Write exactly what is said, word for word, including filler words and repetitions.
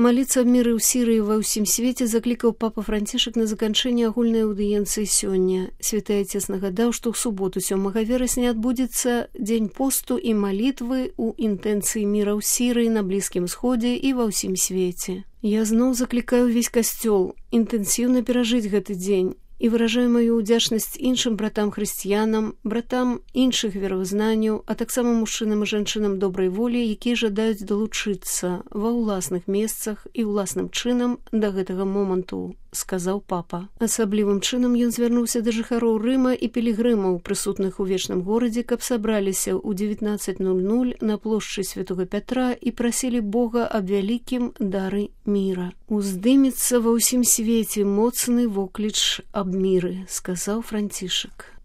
Маліцца аб міры ў Сірыі ва ўсім свеце заклікаў папа Францішак на заканчэнне агульнай аўдыенцыі сёння. Святы Отец нагадаў, што ў суботу сёмага верасня адбудзецца дзень посту і малітвы ў інтэнцыі міра ў Сірыі, на Блізкім Сходзе і ва ўсім свеце. Я зноў заклікаю ўвесь касцёл інтэнсіўна перажыць гэты дзень і выражаю маю ўдзячнасць іншым братам-хрысціянам, братам іншых веравызнанняў, а таксама мужчынам і жанчынам добрай волі, якія жадаюць далучыцца ва ўласных месцах і ўласным чынам да гэтага моманту, сказаў папа. Асаблівым чынам ён звярнуўся да жыхароў Рыма і пілігрымаў, прысутных у вечным горадзе, каб сабраліся ў дзевятнаццаць нуль нуль на плошчы Святога Пятра і прасілі Бога аб вялікім дары міра. Уздымецца ва ўсім свеце моцны вокліч аб міры, сказаў Францішак.